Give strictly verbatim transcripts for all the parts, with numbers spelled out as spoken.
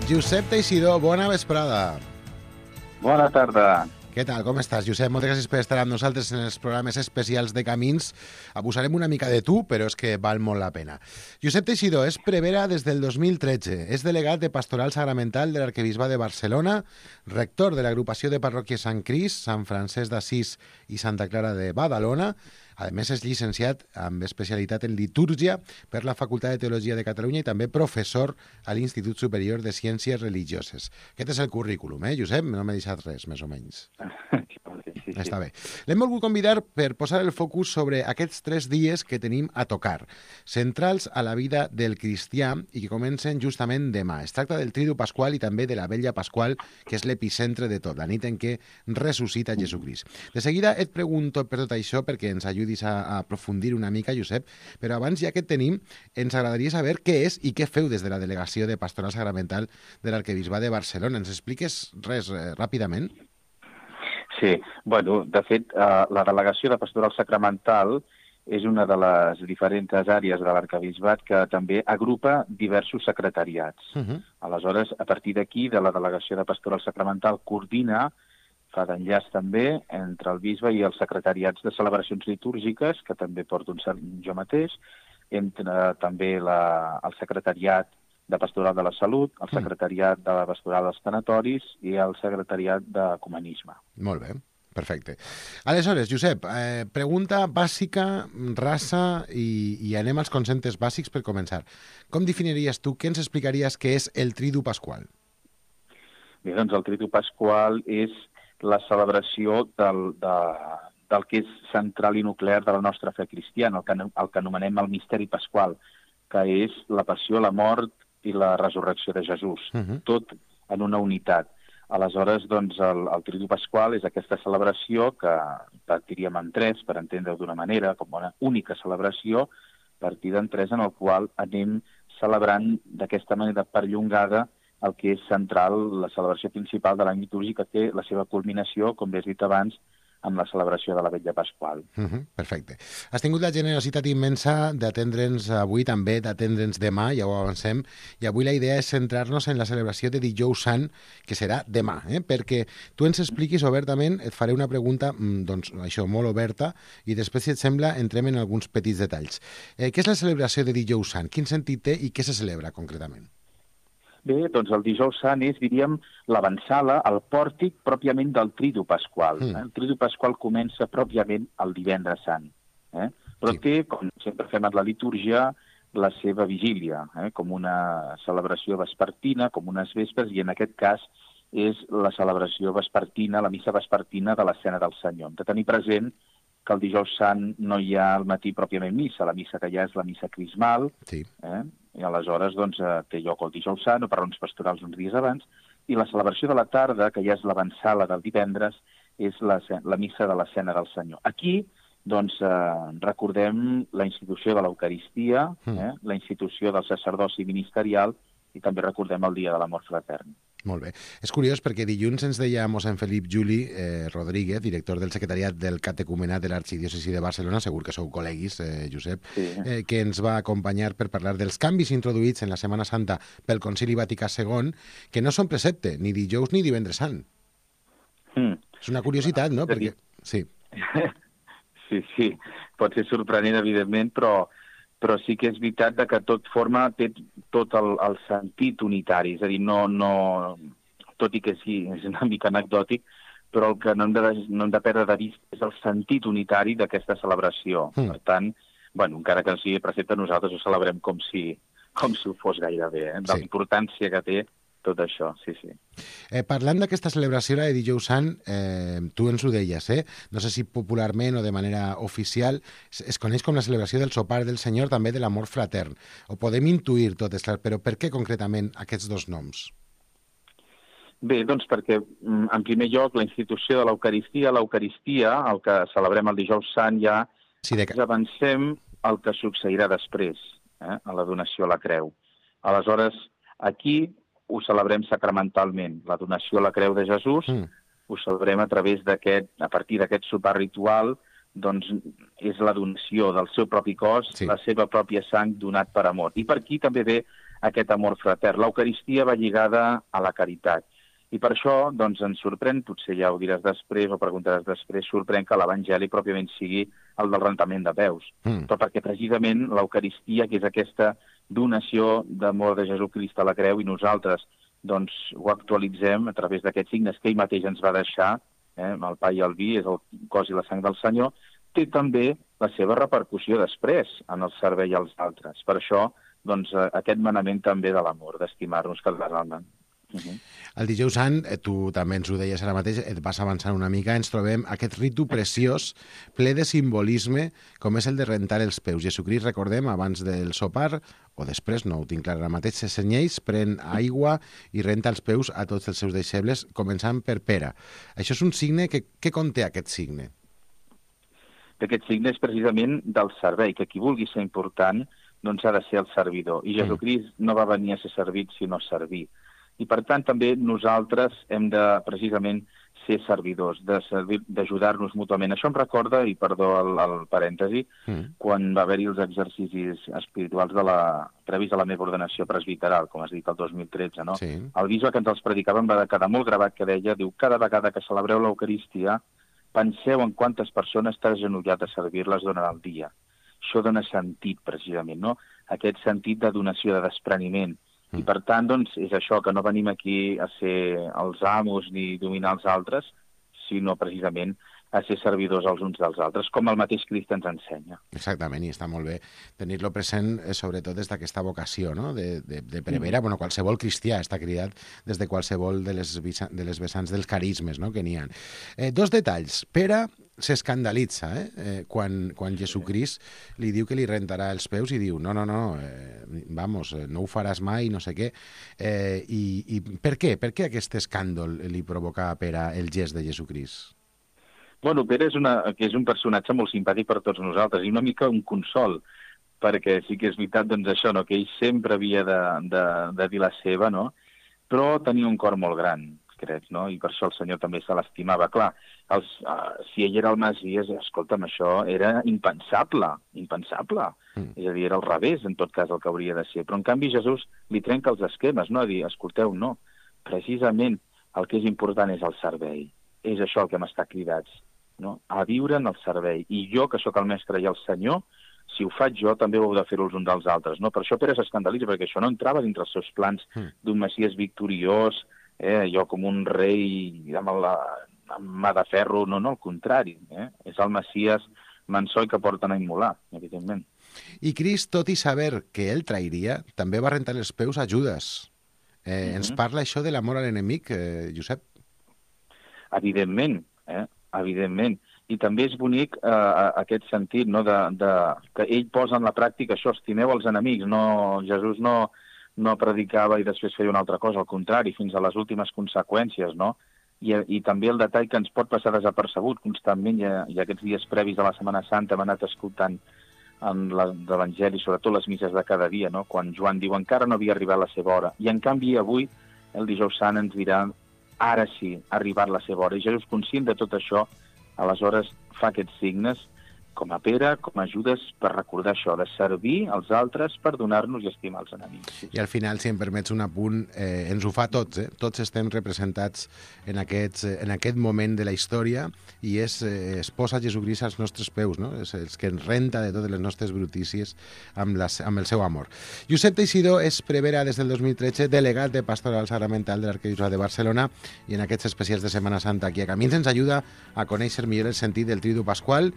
Josep Teixidor, bona vesprada. Bona tarda. Què tal, com estàs, Josep? Moltes gràcies per estar amb nosaltres en els programes especials de Camins. Abusarem una mica de tu, però és que val molt la pena. Josep Teixidor és prevere des del dos mil tretze. És delegat de Pastoral Sagramental de l'Arquebisbat de Barcelona, rector de l'agrupació de parròquies Sant Crist, Sant Francesc d'Assís i Santa Clara de Badalona. A més, és llicenciat amb especialitat en litúrgia per la Facultat de Teologia de Catalunya i també professor a l'Institut Superior de Ciències Religioses. Aquest és el currículum, eh, Josep? No m'he deixat res, més o menys. Sí, sí. Està bé. L'hem volgut convidar per posar el focus sobre aquests tres dies que tenim a tocar, centrals a la vida del cristià i que comencen justament demà. Es tracta del Tridu Pasqual i també de la Vetlla Pasqual, que és l'epicentre de tot, la nit en què ressuscita Jesucrist. De seguida et pregunto per tot això perquè ens ajudis a, a aprofundir una mica, Josep, però abans, ja que et tenim, ens agradaria saber què és i què feu des de la Delegació de Pastoral Sagramental de l'Arquebisbat de Barcelona. Ens expliques res eh, ràpidament? Sí, bueno, de fet, eh, la Delegació de Pastoral Sacramental és una de les diferents àrees de l'Arquebisbat que també agrupa diversos secretariats. Uh -huh. Aleshores, a partir d'aquí, de la Delegació de Pastoral Sacramental coordina, fa d'enllaç també entre el bisbe i els secretariats de celebracions litúrgiques, que també porto un cert jo mateix, entre també la, el secretariat de Pastoral de la Salut, el secretariat de la Pastoral dels Tanatoris i el secretariat d'Ecumenisme. Molt bé, perfecte. Aleshores, Josep, eh, pregunta bàsica, raça, i, i anem als conceptes bàsics per començar. Com definiries tu, què ens explicaries que és el Tridu Pasqual? Bé, doncs el Tridu Pasqual és la celebració del, de, del que és central i nuclear de la nostra fe cristiana, el que, el que anomenem el misteri pasqual, que és la passió, la mort i la resurrecció de Jesús, uh-huh. tot en una unitat. Aleshores, doncs, el, el Tridu Pasqual és aquesta celebració que partiríem en tres, per entendre-ho d'una manera, com una única celebració, partida en tres, en el qual anem celebrant d'aquesta manera perllongada el que és central, la celebració principal de l'any litúrgic, que té la seva culminació, com bé has dit abans, amb la celebració de la Vetlla Pasqual. Uh-huh, perfecte. Has tingut la generositat immensa d'atendre'ns avui, també d'atendre'ns demà, ja ho avancem, i avui la idea és centrar-nos en la celebració de Dijous Sant, que serà demà, eh? Perquè tu ens expliquis obertament, et faré una pregunta, doncs, això, molt oberta, i després, si et sembla, entrem en alguns petits detalls. Eh, què és la celebració de Dijous Sant? Quin sentit té i què se celebra concretament? Bé, doncs el Dijous Sant és, diríem, l'avançala, el pòrtic pròpiament del Tridu Pasqual. Mm. Eh? El Tridu Pasqual comença pròpiament el Divendres Sant. Eh? Però sí. té, com sempre fem en la litúrgia, la seva vigília, eh? com una celebració vespertina, com unes vespres, i en aquest cas és la celebració vespertina, la missa vespertina de l'escena del Senyor. Hem de tenir present que el Dijous Sant no hi ha al matí pròpiament missa, la missa que hi ha és la missa crismal, sí. eh? i aleshores doncs, té lloc el Dijous Sant, o per raons pastorals uns dies abans, i la celebració de la tarda, que ja és l'avançala del divendres, és la, la missa de l'escena del Senyor. Aquí doncs, eh, recordem la institució de l'Eucaristia, eh? la institució del sacerdoci ministerial, i també recordem el dia de l'amor fratern. Molt bé. És curiós perquè dilluns ens deia mossèn Felip Juli eh, Rodríguez, director del secretariat del catecumenat de l'Arxidiòcesi de Barcelona, segur que sou col·leguis, eh, Josep, sí. eh, que ens va acompanyar per parlar dels canvis introduïts en la Setmana Santa pel Concili Vaticà segon, que no són precepte, ni dijous ni divendres sant. Mm. És una curiositat, no? Perquè... Sí. sí, sí. Pot ser sorprenent, evidentment, però... però sí que és veritat que tot forma, té tot el, el sentit unitari, és a dir, no, no, tot i que sí, és una mica anecdòtic, però el que no hem de, no hem de perdre de vista és el sentit unitari d'aquesta celebració. Mm. Per tant, bueno, encara que no sigui precepte, nosaltres ho celebrem com si, com si ho fos gairebé, eh? de la importància que té tot això, sí, sí. Eh, parlant d'aquesta celebració de Dijous Sant, eh, tu ens ho deies, eh? no sé si popularment o de manera oficial, es, es coneix com la celebració del sopar del Senyor, també de l'amor fratern. Ho podem intuir tot, però per què concretament aquests dos noms? Bé, doncs perquè, en primer lloc, la institució de l'Eucaristia, l'Eucaristia, el que celebrem el Dijous Sant, ja sí, de... avancem el que succeirà després, eh? a la donació a la creu. Aleshores, aquí ho celebrem sacramentalment. La donació a la creu de Jesús mm. ho celebrem a través d'aquest, a partir d'aquest sopar ritual, doncs és la donació del seu propi cos, sí. la seva pròpia sang donat per amor. I per aquí també ve aquest amor fratern. L'Eucaristia va lligada a la caritat. I per això doncs, ens sorprèn, potser ja ho diràs després o preguntaràs després, sorprèn que l'Evangeli pròpiament sigui el del rentament de peus. Mm. Però perquè precisament l'Eucaristia, que és aquesta donació d'amor de Jesucrist a la creu, i nosaltres doncs, ho actualitzem a través d'aquests signes que ell mateix ens va deixar, eh, el pa i el vi, és el cos i la sang del Senyor, té també la seva repercussió després en el servei als altres. Per això, doncs, aquest manament també de l'amor, d'estimar-nos calderalment. Uh -huh. El dijous sant, tu també ens ho deies ara mateix, et vas avançant una mica, ens trobem aquest ritu preciós, ple de simbolisme, com és el de rentar els peus. Jesucrist, recordem, abans del sopar, o després, no ho tinc clar ara mateix, se cenyeix, pren aigua i renta els peus a tots els seus deixebles, començant per Pere. Això és un signe, que, què conté aquest signe? Aquest signe és precisament del servei, que qui vulgui ser important doncs ha de ser el servidor. I Jesucrist mm. no va venir a ser servit, sinó a servir. I, per tant, també nosaltres hem de, precisament, ser servidors, de servir, d'ajudar-nos mútuament. Això em recorda, i perdó el, el parèntesi, mm. quan va haver-hi els exercicis espirituals de la, previs a la meva ordenació presbiteral, com has dit, el dos mil tretze, no? Sí. El bisbe que ens els predicava em va quedar molt gravat, que deia, diu, cada vegada que celebreu l'Eucaristia, penseu en quantes persones t'has agenollat a servir-les durant el dia. Això dona sentit, precisament, no? Aquest sentit de donació, de despreniment. I, per tant, doncs, és això, que no venim aquí a ser els amos ni dominar els altres, sinó, precisament, a ser servidors els uns dels altres, com el mateix Crist ens ensenya. Exactament, i està molt bé tenir-lo present, eh, sobretot des d'aquesta vocació, no?, de, de, de prevera. Mm. Bueno, qualsevol cristià està cridat des de qualsevol de les, de les vessants dels carismes, no?, que n'hi ha. Eh, dos detalls. Pere s'escandalitza eh? eh, quan, quan Jesucrist li diu que li rentarà els peus i diu, no, no, no, eh, vamos, no ho faràs mai, no sé què. Eh, i, I per què? Per què aquest escàndol li provoca a Pere el gest de Jesucrist? Bueno, Pere és, una, que és un personatge molt simpàtic per tots nosaltres i una mica un consol, perquè sí que és veritat doncs, això, no? Que ell sempre havia de, de, de dir la seva, no? Però tenia un cor molt gran, crec, no? I per això el Senyor també se l'estimava. Clar, els, uh, si ell era el Messies, escolta'm, això era impensable, impensable. Mm. És a dir, era al revés, en tot cas, el que hauria de ser. Però, en canvi, Jesús li trenca els esquemes, no? A dir, escolteu, no, precisament el que és important és el servei. És això el que hem estat cridats, no? A viure en el servei. I jo, que sóc el mestre i el Senyor, si ho faig jo, també ho heu de fer els uns dels altres, no? Per això Pere s'escandalitza, perquè això no entrava dintre els seus plans mm. d'un Messies victoriós, eh, jo com un rei amb, la, amb mà de ferro, no, no, al contrari, eh? És el Messies manso que porten a immolar, evidentment. I Crist, tot i saber que ell trairia, també va rentar els peus a Judes. Eh, mm-hmm. Ens parla això de l'amor a l'enemic, eh, Josep? Evidentment, eh? Evidentment. I també és bonic eh, aquest sentit, no?, de, de, que ell posa en la pràctica això, estimeu els enemics. No, Jesús no, no predicava i després feia una altra cosa, al contrari, fins a les últimes conseqüències, no? I, i també el detall que ens pot passar desapercebut constantment, i, i aquests dies previs a la Setmana Santa hem anat escoltant en l'Evangeli, sobretot les misses de cada dia, no?, quan Joan diu encara no havia arribat la seva hora. I en canvi avui, el dijous sant, ens dirà ara sí, ha arribat la seva hora. I Jesús, conscient de tot això, aleshores fa aquests signes, com a Pere, com a Judes, per recordar això, de servir als altres per donar-nos i estimar els enemics. I al final, si em permets un apunt, eh, ens ho fa tots, eh? Tots estem representats en, aquests, en aquest moment de la història i és, eh, es posa Jesucrist als nostres peus, no? És el que ens renta de totes les nostres brutícies amb, la, amb el seu amor. Josep Teixidor és prevera des del dos mil tretze, delegat de Pastoral Sacramental de l'Arquebisbat de Barcelona, i en aquests especials de Setmana Santa aquí a Camins ens ajuda a conèixer millor el sentit del Tridu Pasqual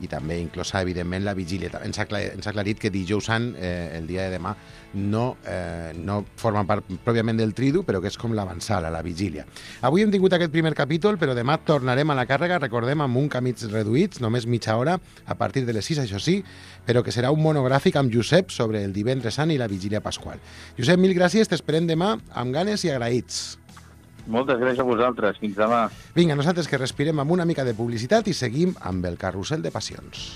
i també inclosa, evidentment, la vigília. Ens ha, ens ha aclarit que dijous sant, eh, el dia de demà, no, eh, no forma part pròpiament del tridu, però que és com l'avançada, la vigília. Avui hem tingut aquest primer capítol, però demà tornarem a la càrrega, recordem, amb un camins reduïts, només mitja hora, a partir de les sis, això sí, però que serà un monogràfic amb Josep sobre el divendres sant i la vigília pasqual. Josep, mil gràcies, t'esperem demà amb ganes i agraïts. Moltes gràcies a vosaltres. Fins demà. Vinga, nosaltres que respirem amb una mica de publicitat i seguim amb el carrusel de passions.